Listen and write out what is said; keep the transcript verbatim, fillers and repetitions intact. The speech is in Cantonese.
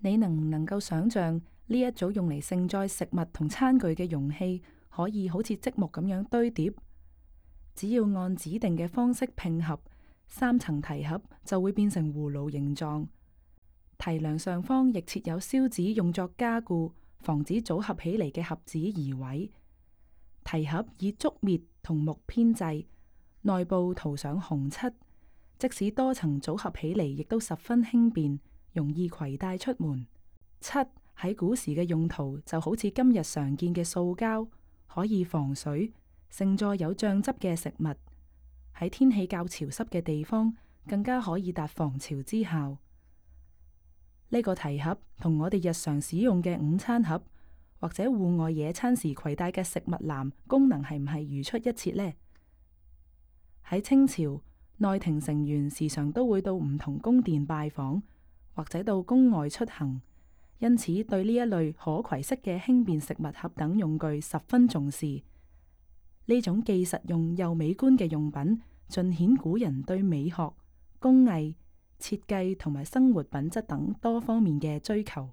你能唔能夠想象呢一組用嚟盛載食物同餐具嘅容器，可以好似積木咁樣堆疊？只要按指定嘅方式拼合，三層提盒就會變成葫蘆形狀。提梁上方亦設有銷紙，用作加固，防止組合起嚟嘅盒子移位。提盒以竹篾同木編製，內部塗上紅漆，即使多層組合起嚟，亦都十分輕便，容易攜帶出門。漆喺古時嘅用途就好似今日常見嘅塑膠，可以防水，盛載有醬汁嘅食物。喺天氣較潮濕嘅地方，更加可以達防潮之效。呢個提盒同我哋日常使用嘅午餐盒或者戶外野餐時攜帶嘅食物籃功能係唔係如出一轍呢？喺清朝，內廷成員時常都會到唔同宮殿拜訪，或者到宮外出行，因此對呢一類可攜式嘅輕便食物盒等用具十分重視。呢種既實用又美觀嘅用品，盡顯古人對美學、工藝、設計同埋生活品質等多方面嘅追求。